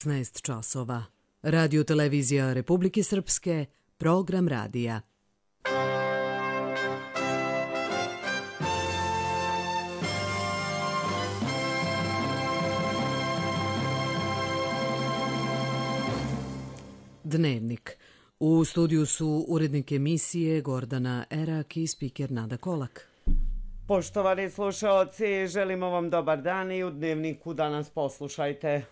16 časova. Radio televizija Republike Srpske, program radija. Dnevnik. U studiju su urednik emisije Gordana Erak i spiker Nada Kolak. Poštovani slušaoci, želimo vam dobar dan i u Dnevniku danas poslušajte.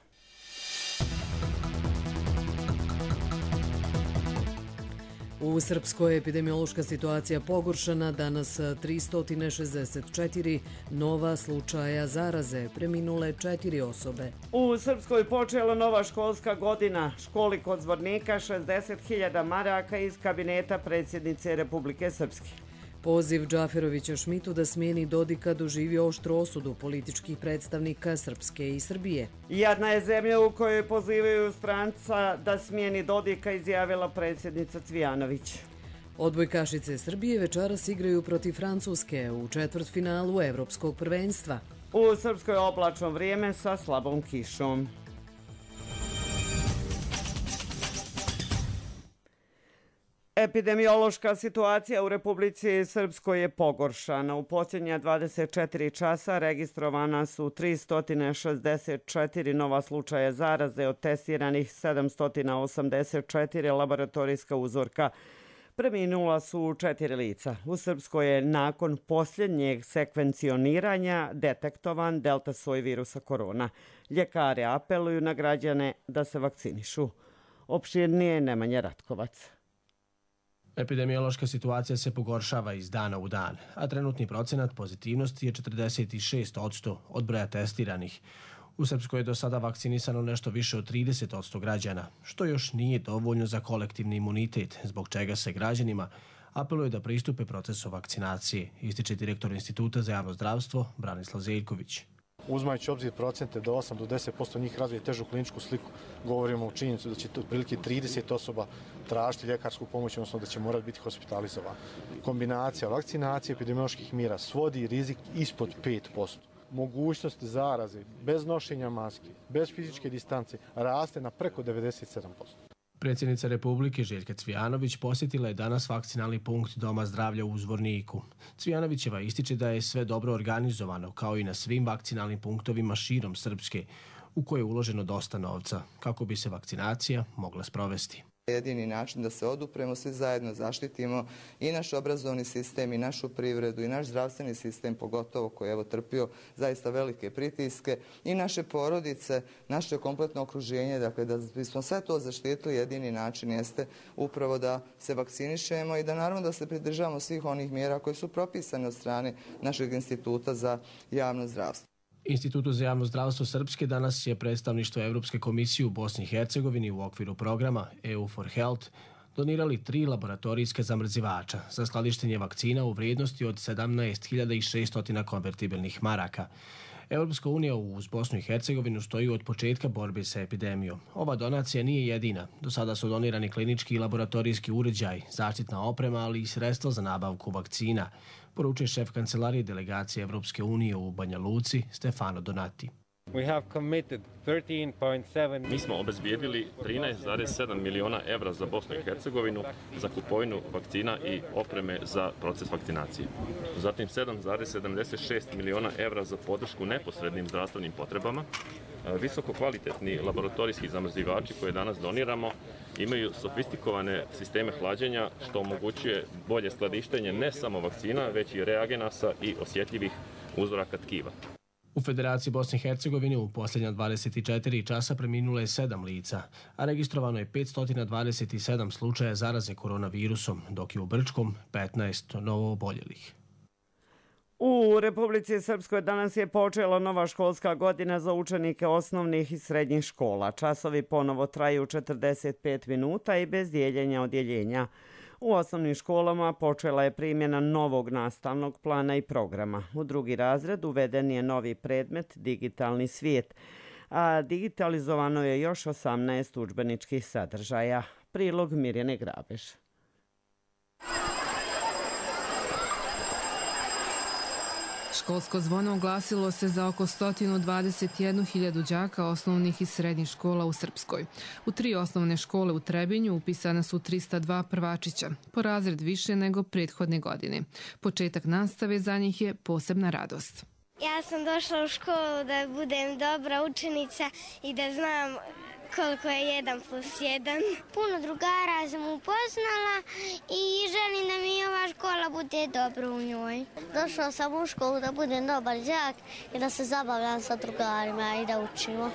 U Srpskoj je epidemiološka situacija pogoršana, danas 364 nova slučaja zaraze, preminule 4 osobe. U Srpskoj počela nova školska godina. Školi kod Zvornika 60.000 maraka iz kabineta predsjednice Republike Srpske. Poziv Džaferovića Šmitu da smijeni Dodika doživio oštru osudu političkih predstavnika Srpske i Srbije. Jadna je zemlja u kojoj pozivaju stranca da smijeni Dodika, izjavila predsjednica Cvijanović. Odbojkašice Srbije večeras igraju protiv Francuske u četvrtfinalu Evropskog prvenstva. U Srpskoj je oblačno vrijeme sa slabom kišom. Epidemiološka situacija u Republici Srpskoj je pogoršana. U posljednja 24 časa registrovana su 364 nova slučaja zaraze, od testiranih 784 laboratorijska uzorka. Preminula su 4 lica. U Srpskoj je nakon posljednjeg sekvencioniranja detektovan delta soj virusa korona. Ljekari apeluju na građane da se vakcinišu. Opširnije Nemanja Ratkovac. Epidemiološka situacija se pogoršava iz dana u dan, a trenutni procenat pozitivnosti je 46% od broja testiranih. U Srpskoj je do sada vakcinisano nešto više od 30% građana, što još nije dovoljno za kolektivni imunitet, zbog čega se građanima apeluje da pristupe procesu vakcinacije, ističe direktor Instituta za javno zdravstvo Branislav Zeljković. Uzimajući obzir procente da 8 do 10% njih razvije težu kliničku sliku, govorimo o činjenicu da će otprilike 30 osoba tražiti ljekarsku pomoć, odnosno da će morati biti hospitalizovani. Kombinacija vakcinacije i epidemioloških mjera svodi rizik ispod 5%. Mogućnost zaraze bez nošenja maske, bez fizičke distance raste na preko 97%. Predsjednica Republike Željka Cvijanović posjetila je danas vakcinalni punkt Doma zdravlja u Zvorniku. Cvijanovićeva ističe da je sve dobro organizovano, kao i na svim vakcinalnim punktovima širom Srpske, u koje je uloženo dosta novca, kako bi se vakcinacija mogla sprovesti. Jedini način da se odupremo, svi zajedno zaštitimo i naš obrazovni sistem i našu privredu i naš zdravstveni sistem, pogotovo koji je trpio zaista velike pritiske, i naše porodice, naše kompletno okruženje. Dakle, da bismo sve to zaštitili, jedini način jeste upravo da se vakcinišemo i da naravno da se pridržavamo svih onih mjera koje su propisane od strane našeg Instituta za javno zdravstvo. Institutu za javno zdravstvo Srpske danas je predstavništvo Evropske komisije u Bosni i Hercegovini u okviru programa EU for Health donirali 3 laboratorijske zamrzivača za skladištenje vakcina u vrijednosti od 17.600 konvertibilnih maraka. Europska unija uz Bosnu i Hercegovinu stoji od početka borbe sa epidemijom. Ova donacija nije jedina. Do sada su donirani klinički i laboratorijski uređaj, zaštitna oprema, ali i sredstva za nabavku vakcina, poručuje šef kancelarije delegacije Evropske unije u Banja Luci Stefano Donati. Mi smo obezbijedili 13,7 miliona evra za Bosnu i Hercegovinu za kupovinu vakcina i opreme za proces vakcinacije. Zatim 7,76 miliona evra za podršku neposrednim zdravstvenim potrebama. Visoko kvalitetni laboratorijski zamrzivači koje danas doniramo imaju sofistikovane sisteme hlađenja, što omogućuje bolje skladištenje ne samo vakcina, već i reagenasa i osjetljivih uzoraka tkiva. U Federaciji Bosne i Hercegovine u posljednja 24 časa preminulo je 7 lica, a registrovano je 527 slučaja zaraze koronavirusom, dok je u Brčkom 15 novo oboljelih. U Republici Srpskoj danas je počela nova školska godina za učenike osnovnih i srednjih škola. Časovi ponovo traju 45 minuta i bez dijeljenja odjeljenja. U osnovnim školama počela je primjena novog nastavnog plana i programa. U drugi razred uveden je novi predmet digitalni svijet, a digitalizovano je još 18 udžbeničkih sadržaja. Prilog Mirjane Školsko zvono oglasilo se za oko 121.000 đaka osnovnih i srednjih škola u Srpskoj. U 3 osnovne škole u Trebinju upisana su 302 prvačića, po razred više nego prethodne godine. Početak nastave za njih je posebna radost. Ja sam došla u školu da budem dobra učenica i da znam koliko je 1+1. Puno drugara sam upoznala i želim da mi ova škola bude dobro u njoj. Došla sam u školu da budem dobar đak i da se zabavljam sa drugarima i da učimo.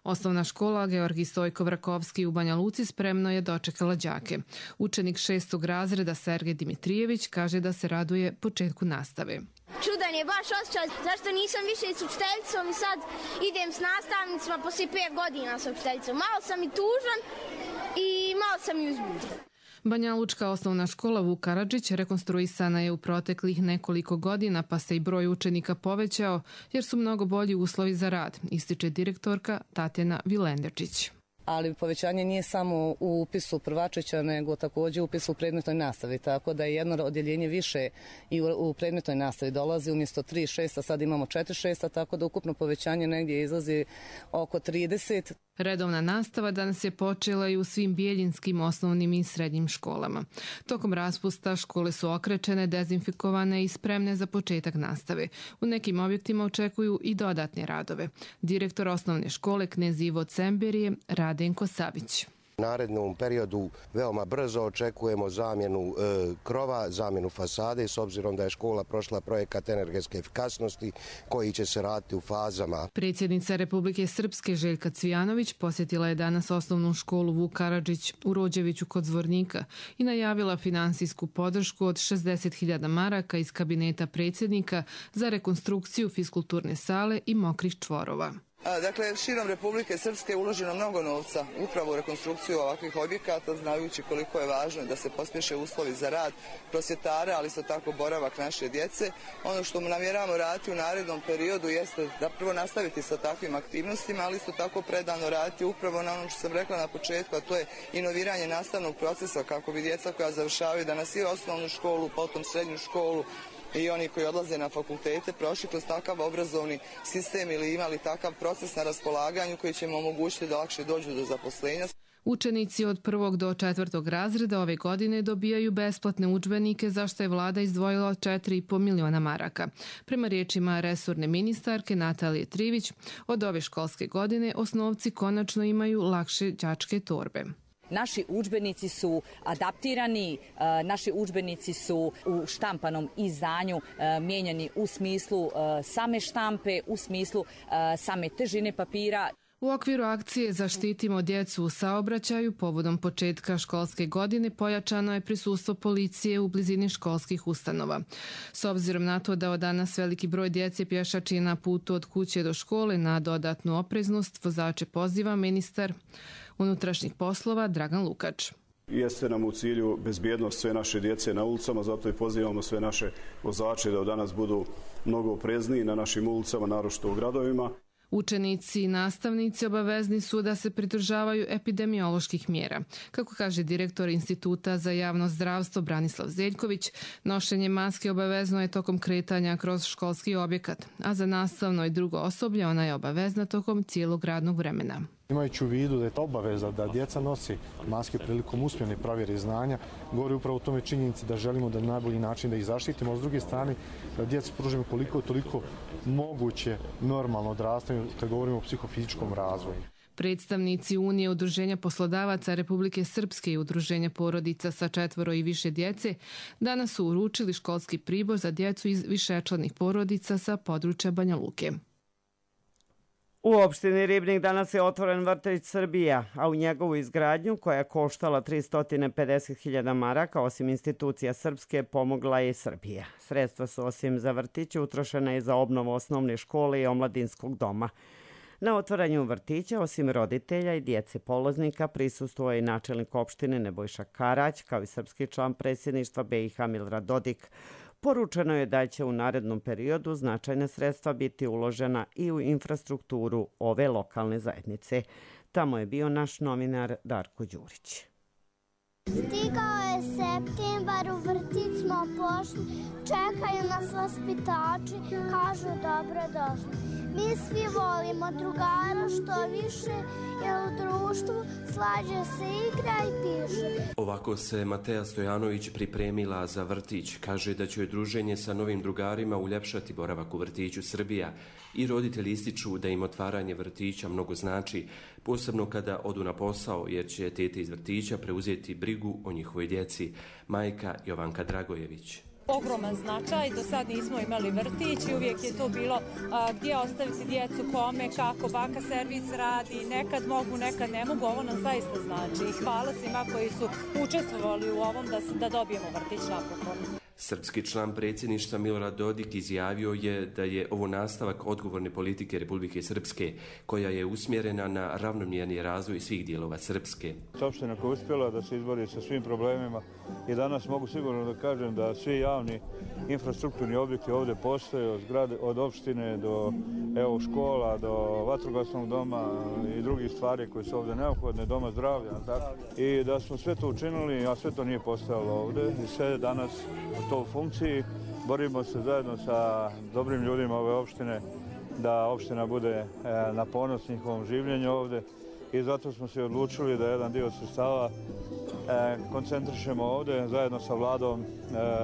Osnovna škola Georgij Stojko-Vrakovski u Banja Luci spremno je dočekala đake. Učenik 6. razreda Sergej Dimitrijević kaže da se raduje početku nastave. Čudan je baš osjećaj, zašto nisam više s učiteljicom i sad idem s nastavnicima poslije 5 godina s učiteljicom. Malo sam i tužan i malo sam i uzbuđen. Banja Lučka osnovna škola Vuk Karadžić rekonstruisana je u proteklih nekoliko godina, pa se i broj učenika povećao jer su mnogo bolji uslovi za rad, ističe direktorka Tatjana Vilenderčić. Ali povećanje nije samo u upisu prvačića, nego također u upisu u predmetnoj nastavi, tako da je jedno odjeljenje više i u predmetnoj nastavi dolazi umjesto 3-6, a sad imamo 4-6, tako da ukupno povećanje negdje izlazi oko 30. Redovna nastava danas je počela i u svim bijeljinskim osnovnim i srednjim školama. Tokom raspusta škole su okrečene, dezinfikovane i spremne za početak nastave. U nekim objektima očekuju i dodatne radove. Direktor osnovne škole Knez Ivo Cember je Radenko Savić. U narednom periodu veoma brzo očekujemo zamjenu krova, zamjenu fasade, s obzirom da je škola prošla projekat energetske efikasnosti koji će se raditi u fazama. Predsjednica Republike Srpske Željka Cvijanović posjetila je danas osnovnu školu Vuk Karadžić u Rođeviću kod Zvornika i najavila finansijsku podršku od 60.000 maraka iz kabineta predsjednika za rekonstrukciju fiskulturne sale i mokrih čvorova. Dakle, širom Republike Srpske je uloženo mnogo novca upravo u rekonstrukciju ovakvih objekata, znajući koliko je važno da se pospješe uslovi za rad prosvjetara, ali isto tako boravak naše djece. Ono što namjeravamo raditi u narednom periodu jeste da prvo nastaviti sa takvim aktivnostima, ali isto tako predano raditi upravo na ono što sam rekla na početku, a to je inoviranje nastavnog procesa kako bi djeca koja završavaju danas i osnovnu školu, potom srednju školu, i oni koji odlaze na fakultete prošli kroz takav obrazovni sistem ili imali takav proces na raspolaganju koji će im omogućiti da lakše dođu do zaposlenja. Učenici od 1. do 4. razreda ove godine dobijaju besplatne udžbenike za što je vlada izdvojila 4,5 miliona maraka. Prema riječima resorne ministarke Natalije Trivić, od ove školske godine osnovci konačno imaju lakše đačke torbe. Naši udžbenici su adaptirani, naši udžbenici su u štampanom izdanju mijenjani u smislu same štampe, u smislu same težine papira. U okviru akcije Zaštitimo djecu u saobraćaju povodom početka školske godine pojačano je prisustvo policije u blizini školskih ustanova. S obzirom na to da od danas veliki broj djece pješači na putu od kuće do škole, na dodatnu opreznost vozače poziva ministar unutrašnjih poslova Dragan Lukač. Jeste nam u cilju bezbjednost sve naše djece na ulicama, zato i pozivamo sve naše vozače da od danas budu mnogo oprezniji na našim ulicama, naročito u gradovima. Učenici i nastavnici obavezni su da se pridržavaju epidemioloških mjera. Kako kaže direktor Instituta za javno zdravstvo Branislav Zeljković, nošenje maske obavezno je tokom kretanja kroz školski objekat, a za nastavno i drugo osoblje ona je obavezna tokom cijelog radnog vremena. Imajući u vidu da je to obaveza da djeca nosi maske prilikom usmene provjere znanja, govori upravo o tome činjenici da želimo da na najbolji način da ih zaštitimo, a s druge strane da djeca pružimo koliko toliko moguće normalno odrastanje kad govorimo o psihofizičkom razvoju. Predstavnici Unije udruženja poslodavaca Republike Srpske i udruženja porodica sa 4 i više djece danas su uručili školski pribor za djecu iz višečlanih porodica sa područja Banja Luke. U opštini Ribnik danas je otvoren vrtić Srbija, a u njegovu izgradnju, koja je koštala 350.000 maraka, osim institucija Srpske, pomogla je i Srbija. Sredstva su osim za vrtić utrošena i za obnovu osnovne škole i omladinskog doma. Na otvaranju vrtića, osim roditelja i djece polaznika, prisustvovao je i načelnik opštine Nebojša Karać, kao i srpski član predsjedništva BiH Milorad Dodik. Poručeno je da će u narednom periodu značajna sredstva biti uložena i u infrastrukturu ove lokalne zajednice. Tamo je bio naš novinar Darko Đurić. Stigao je septembar, u vrtić smo pošli, čekaju nas vaspitači, kažu dobro došli. Mi svi volimo drugara što više, jer u društvu slađe se igra i piše. Ovako se Mateja Stojanović pripremila za vrtić. Kaže da će joj druženje sa novim drugarima uljepšati boravak u vrtiću Srbija i roditelji ističu da im otvaranje vrtića mnogo znači, posebno kada odu na posao, jer će tete iz vrtića preuzeti brigu o njihovoj djeci. Majka Jovanka Dragojević. Ogroman značaj, do sad nismo imali vrtić i uvijek je to bilo gdje ostaviti djecu, kome, kako, baka servis radi, nekad mogu, nekad ne mogu, ovo nam zaista znači i hvala svima koji su učestvovali u ovom da dobijemo vrtić napokon. Srpski član predsjedništva Milorad Dodik izjavio je da je ovo nastavak odgovorne politike Republike Srpske, koja je usmjerena na ravnomjerni razvoj svih dijelova Srpske. Opština koja je uspjela da se izbori sa svim problemima i danas mogu sigurno da kažem da svi javni infrastrukturni objekti ovdje postoje, od opštine do škola, do vatrogasnog doma i drugih stvari koje su ovdje neophodne, doma zdravlja. I da smo sve to učinili, a sve to nije postojalo ovdje i sve danas u toj funkciji. Borimo se zajedno sa dobrim ljudima ove opštine da opština bude na ponos njihovom življenju ovdje i zato smo se odlučili da jedan dio sredstava koncentrišemo ovdje zajedno sa vladom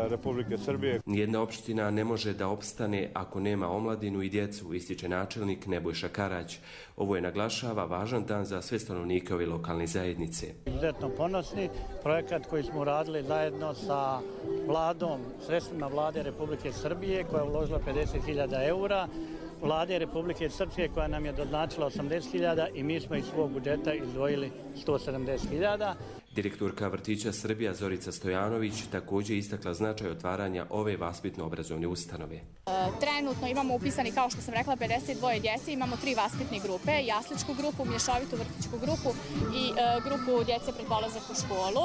Republike Srbije. Nijedna opština ne može da opstane ako nema omladinu i djecu, ističe načelnik Nebojša Karać. Ovo je, naglašava, važan dan za sve stanovnike ove lokalne zajednice. Izuzetno ponosni projekat koji smo uradili zajedno sa vladom, sredstvima vlade Republike Srbije koja je uložila 50.000 eura, vlade Republike Srpske koja nam je doznačila 80.000 i mi smo iz svog budžeta izdvojili 170.000. Direktorka vrtića Srbija Zorica Stojanović također istakla značaj otvaranja ove vaspitno-obrazovne ustanove. Trenutno imamo upisani, kao što sam rekla, 52 djece, imamo 3 vaspitne grupe, jasličku grupu, mješovitu vrtićku grupu i grupu djece pred polazak u školu.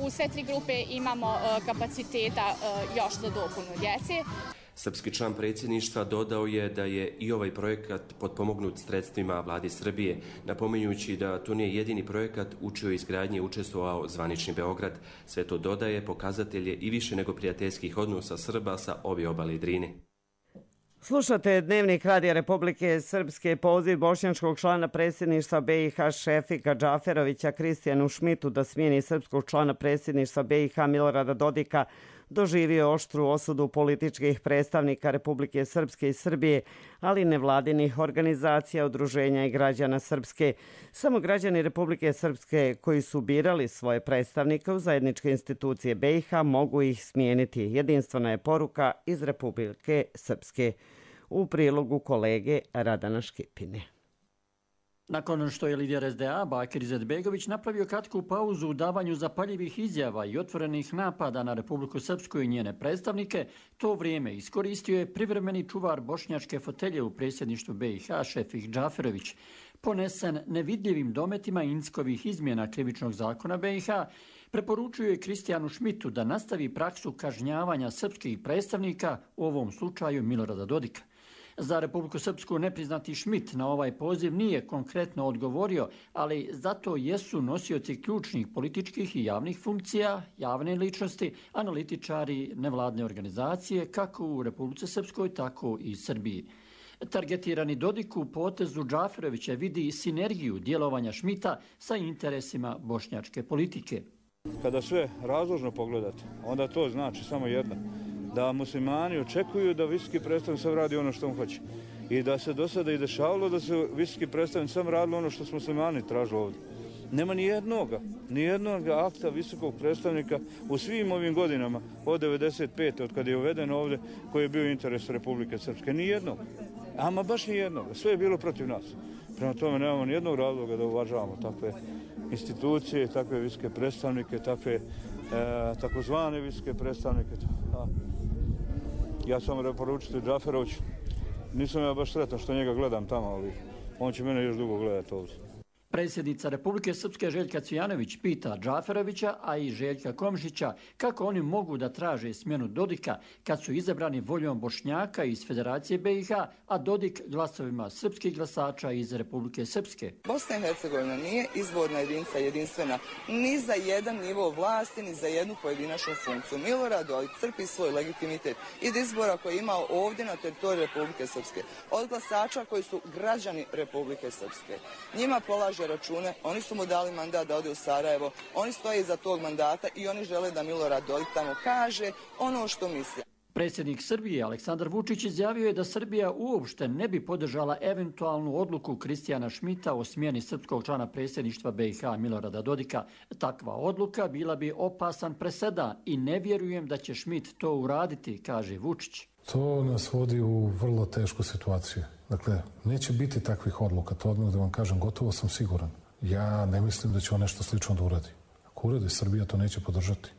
U sve 3 grupe imamo kapaciteta još za dopunu djece. Srpski član predsjedništva dodao je da je i ovaj projekat potpomognut sredstvima vlade Srbije, napominjući da to nije jedini projekat u čijoj izgradnji učestvovao zvanični Beograd. Sve to dodaje pokazatelje i više nego prijateljskih odnosa Srba sa obje obale Drine. Slušate Dnevnik Radija Republike Srpske. Poziv bošnjačkog člana predsjedništva BiH Šefika Džaferovića Kristijanu Šmitu da smijeni srpskog člana predsjedništva BiH Milorada Dodika doživio oštru osudu političkih predstavnika Republike Srpske i Srbije, ali nevladinih organizacija, udruženja i građana Srpske. Samo građani Republike Srpske koji su birali svoje predstavnike u zajedničke institucije BiH mogu ih smijeniti. Jedinstvena je poruka iz Republike Srpske. U prilogu kolege Radana Škipine. Nakon što je lider SDA Bakir Izetbegović napravio kratku pauzu u davanju zapaljivih izjava i otvorenih napada na Republiku Srpsku i njene predstavnike, to vrijeme iskoristio je privremeni čuvar bošnjačke fotelje u predsjedništvu BiH Šefik Džaferović. Ponesen nevidljivim dometima Inckovih izmjena krivičnog zakona BiH, preporučuje je Kristijanu Šmitu da nastavi praksu kažnjavanja srpskih predstavnika, u ovom slučaju Milorada Dodika. Za Republiku Srpsku nepriznati Šmit na ovaj poziv nije konkretno odgovorio, ali zato jesu nosioci ključnih političkih i javnih funkcija, javne ličnosti, analitičari, nevladne organizacije, kako u Republici Srpskoj, tako i Srbiji. Targetirani Dodik u potezu Džaferovića vidi sinergiju djelovanja Šmita sa interesima bošnjačke politike. Kada sve razložno pogledate, onda to znači samo jedno. Da muslimani očekuju da visoki predstavnik sam radi ono što on hoće. I da se do sada i dešavalo da se visoki predstavnik sam radilo ono što su muslimani tražili ovdje. Nema ni jednog akta visokog predstavnika u svim ovim godinama od 95. od kada je uveden ovdje koji je bio interes Republike Srpske. Ni jednog. Ama baš ni jednog. Sve je bilo protiv nas. Prema tome nemamo ni jednog razloga da uvažavamo takve institucije, takve visoke predstavnike, takve takozvane visoke predstavnike. Ja sam preporučiti Džaferović. Nisam ja baš sretan što njega gledam tamo, ali on će mene još dugo gledati ovdje. Predsjednica Republike Srpske Željka Cvijanović pita Džaferovića, a i Željka Komšića, kako oni mogu da traže smjenu Dodika kad su izabrani voljom Bošnjaka iz Federacije BiH, a Dodik glasovima srpskih glasača iz Republike Srpske. Bosna i Hercegovina nije izborna jedinica jedinstvena ni za jedan nivo vlasti, ni za jednu pojedinačnu funkciju. Milorad Dodik crpi svoj legitimitet iz izbora koji je imao ovdje na teritoriji Republike Srpske, od glasača koji su građani Republike Srpske. Njima polaže račune, oni su mu dali mandat da ode u Sarajevo, oni stoje iza tog mandata i oni žele da Milorad Dodik tamo kaže ono što misle. Predsjednik Srbije Aleksandar Vučić izjavio je da Srbija uopšte ne bi podržala eventualnu odluku Kristijana Šmita o smjeni srpskog člana predsjedništva BiH Milorada Dodika. Takva odluka bila bi opasan presedan i ne vjerujem da će Šmit to uraditi, kaže Vučić. To nas vodi u vrlo tešku situaciju. Dakle, neće biti takvih odluka, to odmah da vam kažem, gotovo sam siguran. Ja ne mislim da će on nešto slično da uradi. Ako uradi, Srbija to neće podržati.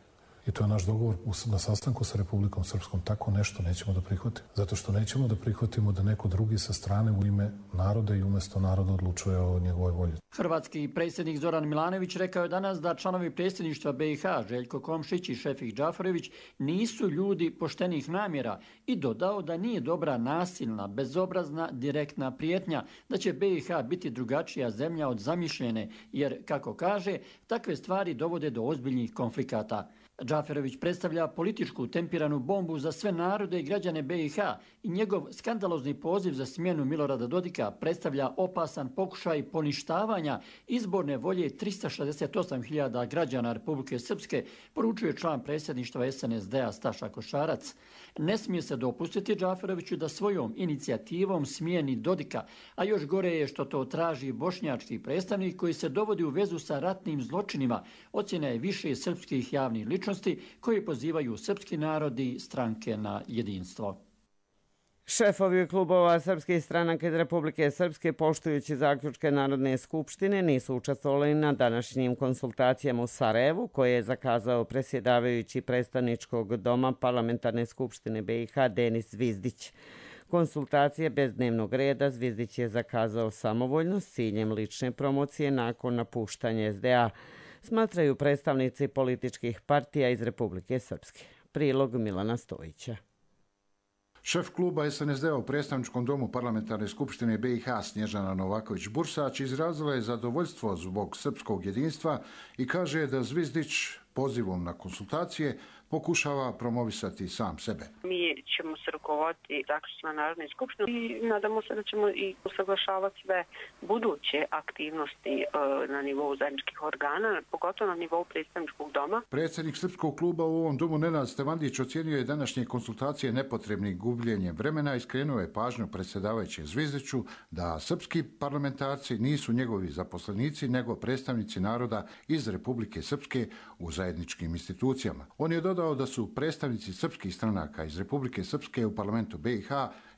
I to je naš dogovor na sastanku sa Republikom Srpskom. Tako nešto nećemo da prihvatimo. Zato što nećemo da prihvatimo da neko drugi sa strane u ime naroda i umjesto naroda odlučuje o njegovoj volji. Hrvatski predsjednik Zoran Milanović rekao je danas da članovi predsjedništva BiH Željko Komšić i Šefik Džaferović nisu ljudi poštenih namjera i dodao da nije dobra nasilna, bezobrazna, direktna prijetnja, da će BiH biti drugačija zemlja od zamišljene, jer, kako kaže, takve stvari dovode do ozbiljnih konflikata. Džaferović predstavlja političku tempiranu bombu za sve narode i građane BiH i njegov skandalozni poziv za smjenu Milorada Dodika predstavlja opasan pokušaj poništavanja izborne volje 368.000 građana Republike Srpske, poručuje član predsjedništva SNSD-a Staša Košarac. Ne smije se dopustiti Džaferoviću da svojom inicijativom smijeni Dodika, a još gore je što to traži bošnjački predstavnik koji se dovodi u vezu sa ratnim zločinima, ocjena je više srpskih javnih ličnosti koji pozivaju srpski narod i stranke na jedinstvo. Šefovi klubova srpskih stranaka iz Republike Srpske, poštujući zaključke Narodne skupštine, nisu učestvovali na današnjim konsultacijama u Sarajevu, koje je zakazao predsjedavajući predstavničkog doma Parlamentarne skupštine BiH Denis Zvizdić. Konsultacije bez dnevnog reda Zvizdić je zakazao samovoljno s ciljem lične promocije nakon napuštanja SDA, smatraju predstavnici političkih partija iz Republike Srpske. Prilog Milana Stojića. Šef kluba SNSD-a u predstavničkom domu Parlamentarne skupštine BiH Snježana Novaković-Bursać izrazila je zadovoljstvo zbog srpskog jedinstva i kaže da Zvizdić pozivom na konsultacije pokušava promovisati sam sebe. Mi ćemo se rukovoditi zaključcima Narodne skupštine i nadamo se da ćemo i usaglašavati sve buduće aktivnosti na nivou zajedničkih organa, pogotovo na nivou predstavničkog doma. Predsjednik srpskog kluba u ovom domu Nenad Stevandić ocjenio je današnje konsultacije nepotrebnim gubljenjem vremena i skrenuo je pažnju predsjedavajućem Zvizdiću da srpski parlamentarci nisu njegovi zaposlenici, nego predstavnici naroda iz Republike Srpske u zajedničkim institucijama. On je dodao da su predstavnici srpskih stranaka iz Republike Srpske u parlamentu BiH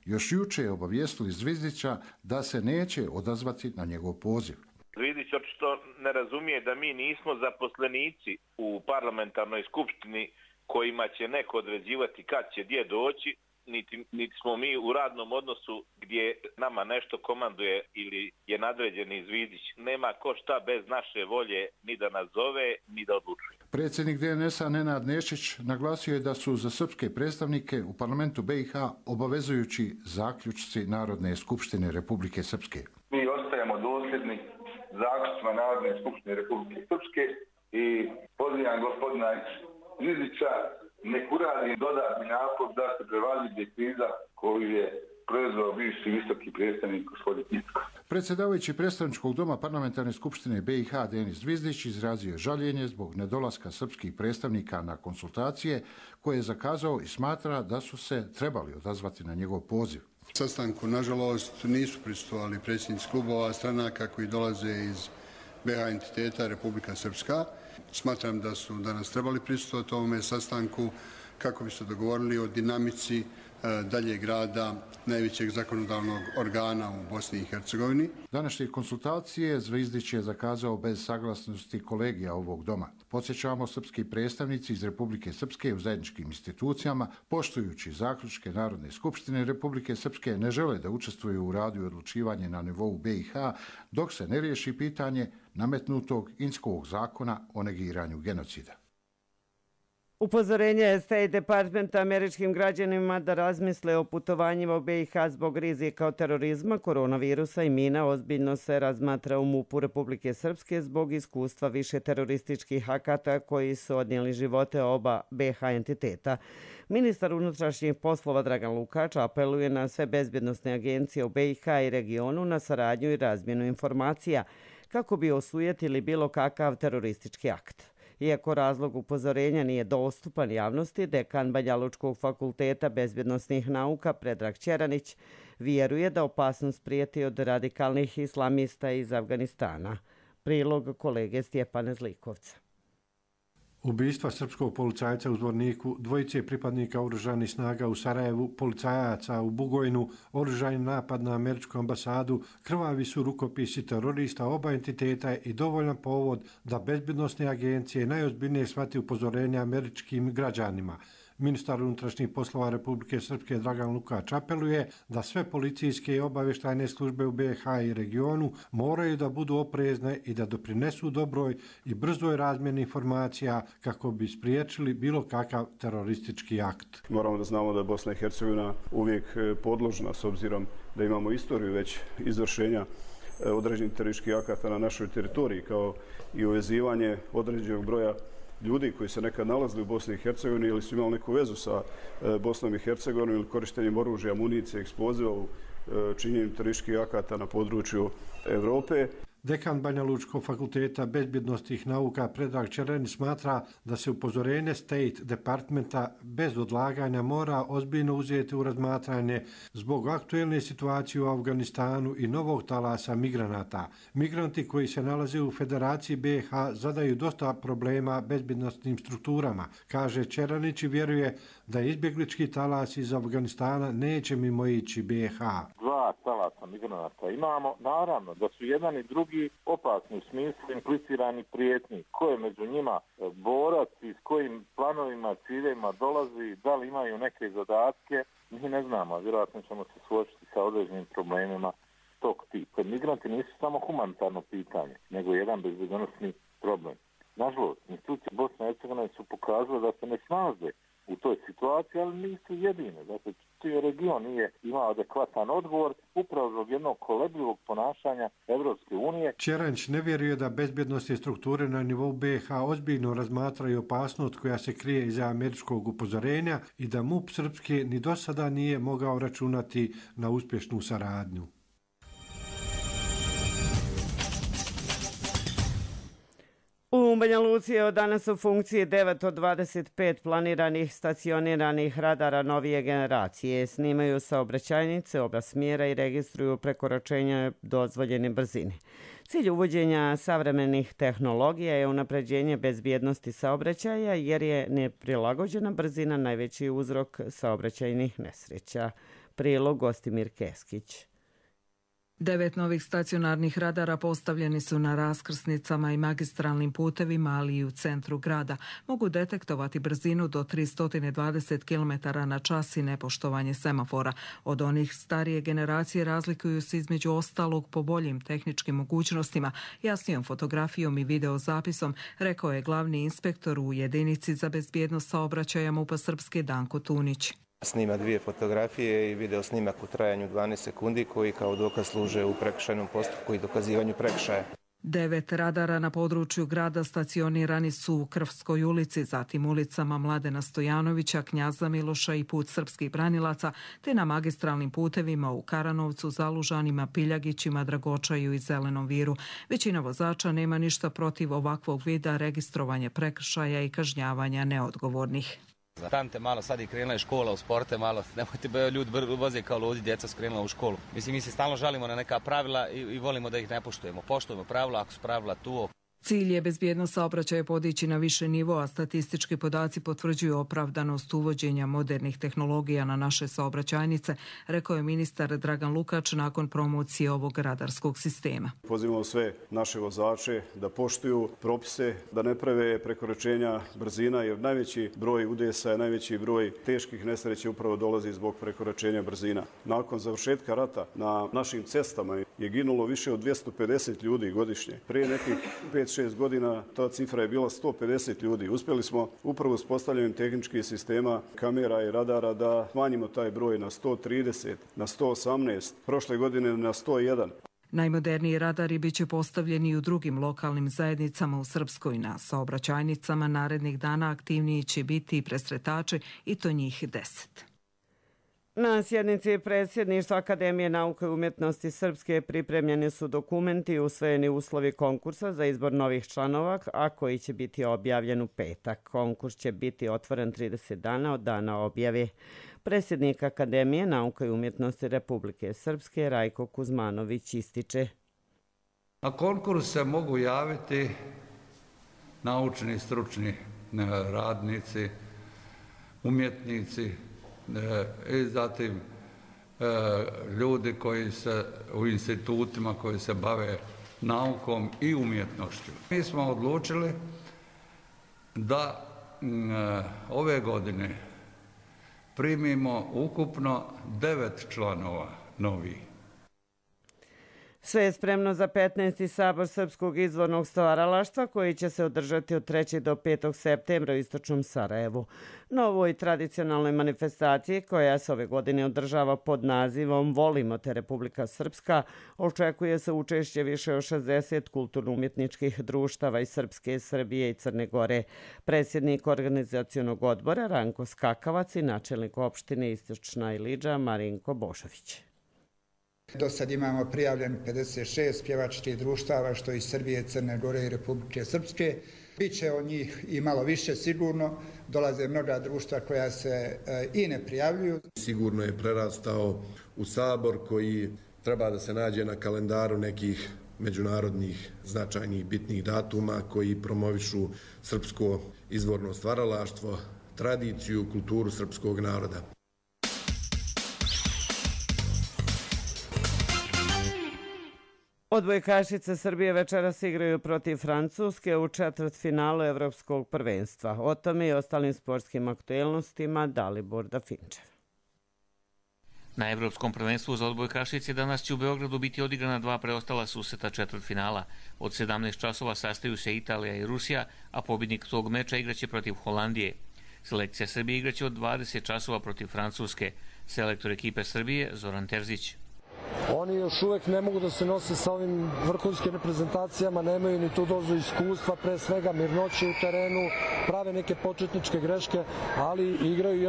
još juče obavijestili Zvizdića da se neće odazvati na njegov poziv. Zvizdić očito ne razumije da mi nismo zaposlenici u parlamentarnoj skupštini kojima će neko određivati kad će gdje doći, niti smo mi u radnom odnosu gdje nama nešto komanduje ili je nadređeni Zvizdić. Nema ko šta bez naše volje ni da nas zove, ni da odlučuje. Predsjednik DNS-a Nenad Nešić naglasio je da su za srpske predstavnike u parlamentu BiH obavezujući zaključci Narodne skupštine Republike Srpske. Mi ostajemo dosljedni zaključcima Narodne skupštine Republike Srpske i pozivam gospodina Zvizdića nek uradi dodatni napor da se prevaziđe kriza koju je proizveo bivši visoki predstavnik gospodin Icko. Predsjedavajući predstavničkog doma Parlamentarne skupštine BiH Denis Zvizdić izrazio žaljenje zbog nedolaska srpskih predstavnika na konsultacije koje je zakazao i smatra da su se trebali odazvati na njegov poziv. Sastanku, nažalost, nisu prisustvovali predsjednici klubova stranaka koji dolaze iz BiH entiteta Republika Srpska. Smatram da su danas trebali prisustvovati ovome sastanku kako bi se dogovorili o dinamici daljeg rada najvećeg zakonodavnog organa u Bosni i Hercegovini. Današnje konsultacije Zvizdić je zakazao bez saglasnosti kolegija ovog doma. Podsjećamo, srpski predstavnici iz Republike Srpske u zajedničkim institucijama, poštujući zaključke Narodne skupštine Republike Srpske, ne žele da učestvuju u radu i odlučivanje na nivou BiH dok se ne riješi pitanje nametnutog Inskog zakona o negiranju genocida. Upozorenje je State Departmenta američkim građanima da razmisle o putovanjima u BiH zbog rizika od terorizma, koronavirusa i mina ozbiljno se razmatra u MUP-u Republike Srpske zbog iskustva više terorističkih akata koji su odnijeli živote oba BiH entiteta. Ministar unutrašnjih poslova Dragan Lukač apeluje na sve bezbjednosne agencije u BiH i regionu na saradnju i razmjenu informacija kako bi osujetili bilo kakav teroristički akt. Iako razlog upozorenja nije dostupan javnosti, dekan Banjalučkog fakulteta bezbjednosnih nauka Predrag Ćeranić vjeruje da opasnost prijeti od radikalnih islamista iz Afganistana. Prilog kolege Stjepana Zlikovca. Ubistva srpskog policajca u Zvorniku, dvojice pripadnika oružanih snaga u Sarajevu, policajaca u Bugojnu, oružani napad na američku ambasadu, krvavi su rukopisi terorista oba entiteta i dovoljan povod da bezbjednosne agencije najozbiljnije shvati upozorenja američkim građanima. Ministar unutrašnjih poslova Republike Srpske Dragan Lukač apeluje da sve policijske i obavještajne službe u BiH i regionu moraju da budu oprezne i da doprinesu dobroj i brzoj razmjeni informacija kako bi spriječili bilo kakav teroristički akt. Moramo da znamo da je Bosna i Hercegovina uvijek podložna s obzirom da imamo istoriju već izvršenja određenih terorističkih akata na našoj teritoriji, kao i uvezivanje određenog broja ljudi koji se nekad nalazili u Bosni i Hercegovini ili su imali neku vezu sa Bosnom i Hercegovinom ili korištenjem oružja, amunicije, eksploziva u činjenju terorističkih akata na području Evrope. Dekan Banjalučkog fakulteta bezbjednosnih nauka Predrag Ćeranić smatra da se upozorenje State Departmenta bez odlaganja mora ozbiljno uzeti u razmatranje zbog aktuelne situacije u Afganistanu i novog talasa migranata. Migranti koji se nalaze u Federaciji BiH zadaju dosta problema bezbjednosnim strukturama, kaže Ćeranić i vjeruje da izbjeglički talas iz Afganistana neće mimo ići BiH. Dva talasa migranata imamo, naravno da su jedan i drugi opasni u smislu implicirani prijetnji. Ko je među njima borac i s kojim planovima, ciljevima dolazi, da li imaju neke zadatke, mi ne znamo, vjerojatno ćemo se suočiti sa određenim problemima tog tipa. Migranti nisu samo humanitarno pitanje, nego jedan bezbjednosni problem. Nažalost, institucije Bosne i Hercegovine su pokazale da se ne snalaze u toj situaciji, ali nisu jedine. Dakle, cijeli region nije imao adekvatan odgovor upravo zbog jednog kolebljivog ponašanja Evropske unije. Ćeranić ne vjeruje da bezbjednostne strukture na nivou BiH ozbiljno razmatraju opasnost koja se krije iza američkog upozorenja i da MUP Srpske ni do sada nije mogao računati na uspješnu saradnju. U Banja Luci je od danas u funkciji 9 od 25 planiranih stacioniranih radara novije generacije. Snimaju saobraćajnice oba smjera i registruju prekoračenja dozvoljene brzine. Cilj uvođenja savremenih tehnologija je unapređenje bezbjednosti saobraćaja jer je neprilagođena brzina najveći uzrok saobraćajnih nesreća. Prilog Gostimir Keskić. 9 novih stacionarnih radara postavljeni su na raskrsnicama i magistralnim putevima, ali i u centru grada. Mogu detektovati brzinu do 320 km/h i nepoštovanje semafora. Od onih starije generacije razlikuju se između ostalog po boljim tehničkim mogućnostima, jasnijom fotografijom i videozapisom, rekao je glavni inspektor u jedinici za bezbjednost saobraćaja MUP-a Srpske Danko Tunić. Snima 2 fotografije i video snimak u trajanju 12 sekundi koji kao dokaz služe u prekršajnom postupku i dokazivanju prekršaja. 9 radara na području grada stacionirani su u Krvskoj ulici, zatim ulicama Mladena Stojanovića, Knjaza Miloša i Put srpskih branilaca, te na magistralnim putevima u Karanovcu, Zalužanima, Piljagićima, Dragočaju i Zelenom Viru. Većina vozača nema ništa protiv ovakvog vida registrovanja prekršaja i kažnjavanja neodgovornih. Tante malo sad i krenula je škola u sporte, malo nemojte ljudi voze kao ludi, djeca su krenula u školu. Mislim, mi se stalno žalimo na neka pravila i volimo da ih ne poštujemo. Poštujemo pravila ako su pravila tu. Cilj je bezbjednost saobraćaja podići na više nivoa. Statistički podaci potvrđuju opravdanost uvođenja modernih tehnologija na naše saobraćajnice, rekao je ministar Dragan Lukač nakon promocije ovog radarskog sistema. Pozivamo sve naše vozače da poštuju propise, da ne prave prekoračenja brzina, jer najveći broj udesa, najveći broj teških nesreća upravo dolazi zbog prekoračenja brzina. Nakon završetka rata na našim cestama je ginulo više od 250 ljudi godišnje. Prije nekih 5-6 godina ta cifra je bila 150 ljudi. Uspjeli smo upravo s postavljanjem tehničkih sistema, kamera i radara da smanjimo taj broj na 130, na 118, prošle godine na 101. Najmoderniji radari bit će postavljeni i u drugim lokalnim zajednicama u Srpskoj. Na saobraćajnicama narednih dana aktivniji će biti i presretači, i to njih 10. Na sjednici predsjedništva Akademije nauke i umjetnosti Srpske pripremljeni su dokumenti i usvojeni uslovi konkursa za izbor novih članova, a koji će biti objavljen u petak. Konkurs će biti otvoren 30 dana od dana objave. Predsjednik Akademije nauke i umjetnosti Republike Srpske Rajko Kuzmanović ističe. Na konkurs se mogu javiti naučni i stručni radnici, umjetnici, i zatim ljudi koji se u institutima koji se bave naukom i umjetnošću. Mi smo odlučili da ove godine primimo ukupno 9 članova novih. Sve je spremno za 15. sabor Srpskog izvornog stvaralaštva koji će se održati od 3. do 5. septembra u istočnom Sarajevu. Na ovoj tradicionalnoj manifestaciji koja se ove godine održava pod nazivom Volimo te Republika Srpska očekuje se učešće više od 60 kulturno-umjetničkih društava iz Srpske, Srbije i Crne Gore. Predsjednik organizacionog odbora Ranko Skakavac i načelnik opštine Istočna Ilidža Marinko Bošović. Do sad imamo prijavljen 56 pjevačkih društava, što iz Srbije, Crne Gore i Republike Srpske. Biće od njih i malo više sigurno. Dolaze mnoga društva koja se i ne prijavljuju. Sigurno je prerastao u sabor koji treba da se nađe na kalendaru nekih međunarodnih značajnih bitnih datuma koji promovišu srpsko izvorno stvaralaštvo, tradiciju, kulturu srpskog naroda. Odbojkašice Srbije večeras igraju protiv Francuske u četvrtfinalu Evropskog prvenstva. O tome i ostalim sportskim aktuelnostima Dalibor Dafinčev. Na Evropskom prvenstvu za odbojkašice danas će u Beogradu biti odigrana 2 preostala susreta četvrtfinala. Od 17 časova sastaju se Italija i Rusija, a pobjednik tog meča igraće protiv Holandije. Selekcija Srbije igraće od 20 časova protiv Francuske. Selektor ekipe Srbije Zoran Terzić. Oni još uvijek ne mogu da se nose sa ovim vrhunskim reprezentacijama, nemaju ni tu dozu iskustva, pre svega mirnoće u terenu, prave neke početničke greške, ali igraju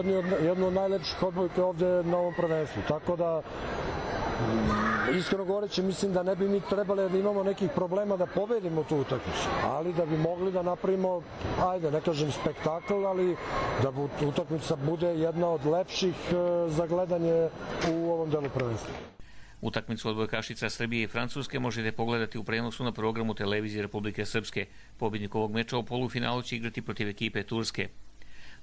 jednu od najlepših odbojke ovdje na ovom prvenstvu. Tako da, iskreno govoreći, mislim da ne bi mi trebali da imamo nekih problema da pobedimo tu utakmicu, ali da bi mogli da napravimo, ajde, ne kažem spektakl, ali da utakmica bude jedna od lepših za gledanje u ovom delu prvenstva. Utakmicu odbojkašica Srbije i Francuske možete pogledati u prenosu na programu televizije Republike Srpske. Pobjednik ovog meča u polufinalu će igrati protiv ekipe Turske.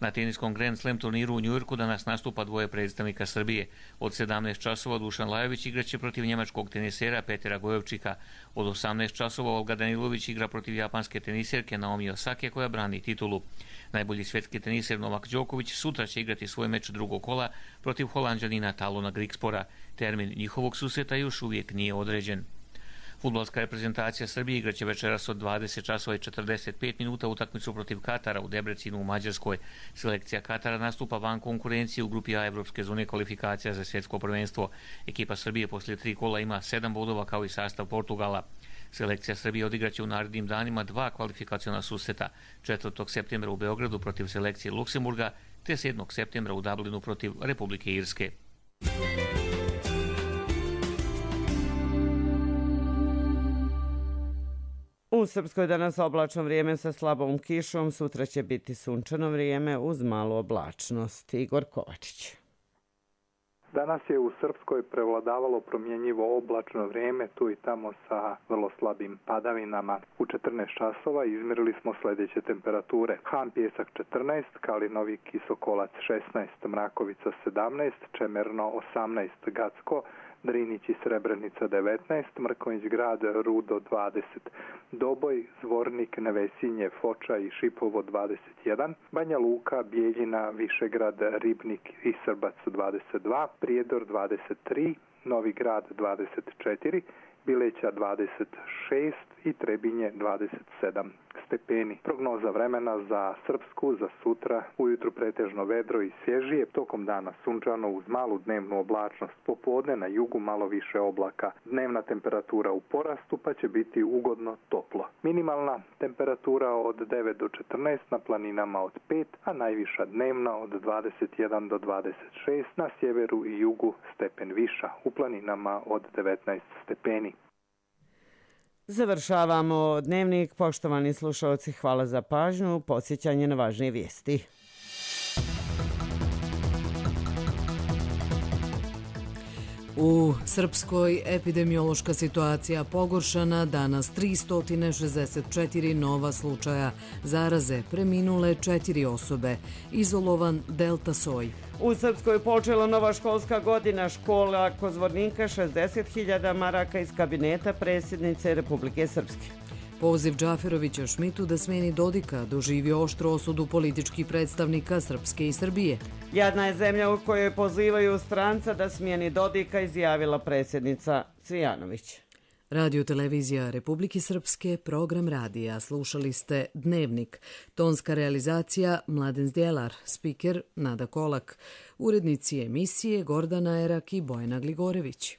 Na teniskom Grand Slam turniru u Njujorku danas nastupa 2 predstavnika Srbije. Od 17 časova Dušan Lajović igraće protiv njemačkog tenisera Petera Gojevčika. Od 18 časova Olga Danilović igra protiv japanske teniserke Naomi Osake koja brani titulu. Najbolji svjetski teniser Novak Đoković sutra će igrati svoj meč drugog kola protiv Holanđanina Talona Grigspora. Termin njihovog susreta još uvijek nije određen. Fudbalska reprezentacija Srbije igraće večeras od 20 časova i 45 minuta utakmicu protiv Katara u Debrecinu u Mađarskoj. Selekcija Katara nastupa van konkurencije u grupi A Evropske zone kvalifikacija za svjetsko prvenstvo. Ekipa Srbije poslije 3 kola ima 7 bodova kao i sastav Portugala. Selekcija Srbije odigraće u narednim danima 2 kvalifikaciona susreta. 4. septembra u Beogradu protiv selekcije Luksemburga te 7. septembra u Dublinu protiv Republike Irske. U Srpskoj danas oblačno vrijeme sa slabom kišom, sutra će biti sunčano vrijeme uz malu oblačnost. Igor Kovačić. Danas je u Srpskoj prevladavalo promjenjivo oblačno vrijeme, tu i tamo sa vrlo slabim padavinama. U 14 časova izmjerili smo sljedeće temperature. Han Pjesak 14, Kalinovik i Sokolac 16, Mrakovica 17, Čemerno 18, Gacko, Drinić i Srebrenica 19, Mrkonjić Grad, Rudo 20, Doboj, Zvornik, Nevesinje, Foča i Šipovo 21, Banja Luka, Bijeljina, Višegrad, Ribnik i Srbac 22, Prijedor 23, Novi Grad 24, Bileća 26 i Trebinje 27 stepeni. Prognoza vremena za Srpsku za sutra: ujutru pretežno vedro i svježije, tokom dana sunčano uz malu dnevnu oblačnost, popodne na jugu malo više oblaka. Dnevna temperatura u porastu pa će biti ugodno toplo. Minimalna temperatura od 9 do 14, na planinama od 5, a najviša dnevna od 21 do 26, na sjeveru i jugu stepen viša, u planinama od 19 stepeni. Završavamo dnevnik. Poštovani slušalci, hvala za pažnju. Podsjećanje na važnije vijesti. U Srpskoj epidemiološka situacija pogoršana, danas 364 nova slučaja zaraze, preminule 4 osobe, izolovan delta soj. U Srpskoj počela nova školska godina. Škola Kozvornika 60.000 maraka iz kabineta predsjednice Republike Srpske. Poziv Džaferovića Šmitu da smeni Dodika doživio oštru osudu političkih predstavnika Srpske i Srbije. Jadna je zemlja u kojoj pozivaju stranca da smijeni Dodika, izjavila predsjednica Cvijanović. Radio televizija Republike Srpske, program radija. Slušali ste Dnevnik. Tonska realizacija Mladen Zdjelar, spiker Nada Kolak. Urednici emisije Gordana Erak i Bojana Gligorević.